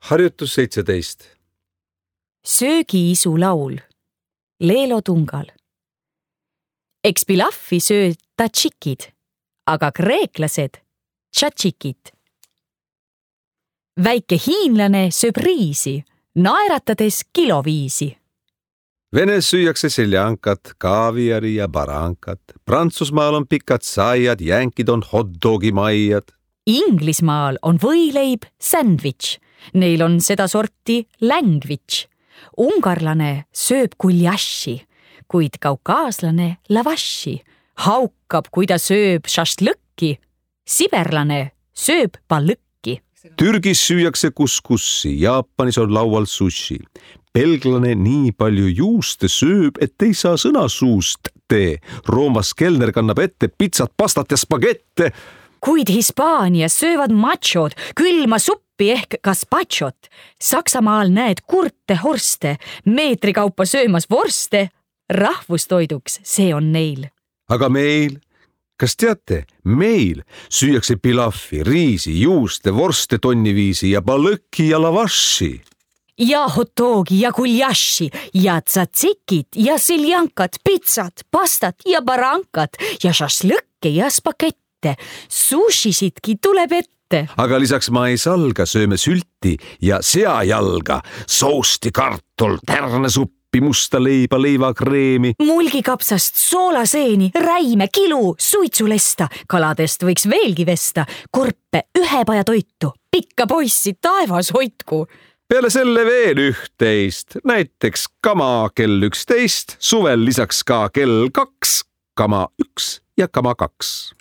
Harjutus 17. Söögiisu laul. Leelo Tungal. Eks pilaffi söö tatšikid, aga kreeklased tšatšikid. Väike hiinlane sööb riisi, naeratades kiloviisi. Venes süüakse seljankat, kaaviari ja barankat. Prantsusmaal on pikad saiad, jänkid on hotdogi maiad. Inglismaal on võileib sandwich. Neil on seda sorti language. Ungarlane sööb guljaši, kuid kaukaaslane lavaši. Haukab, kui ta sööb šašlõkki. Siberlane sööb balõkki. Türgis süüakse kuskussi, Jaapanis on laual sushi. Belglane nii palju juuste sööb, et ei saa sõna suust tee. Roomas kelner kannab ette pitsat, pastat ja spagette. Kuid Hispaanias söövad machod külma suppi ehk gazpachot. Saksamaal näed kurte horste, meetri kaupa söömas vorste. Rahvustoiduks see on neil. Aga meil, kas teate, meil süüakse pilaffi, riisi, juuste, vorste tonniviisi ja balõkki ja lavaši. Ja hotdogi ja guljaši ja tsatsikid ja seljankat, pitsat, pastat ja barankat ja šašlõkke ja spagette. Sushisidki tuleb ette. Aga lisaks maisalga sööme sülti ja seajalga, soosti, kartul, tärnesuppi, musta leiba, leivakreemi. Mulgikapsast, soolaseeni, räime, kilu, suitsulesta. Kaladest võiks veelgi vesta. Korpe, ühepaja toitu. Pikka poissi, taevas hoidku. Peale selle veel üht-teist, näiteks kama kell 11, suvel lisaks ka kell 2, kama 1 ja kama 2.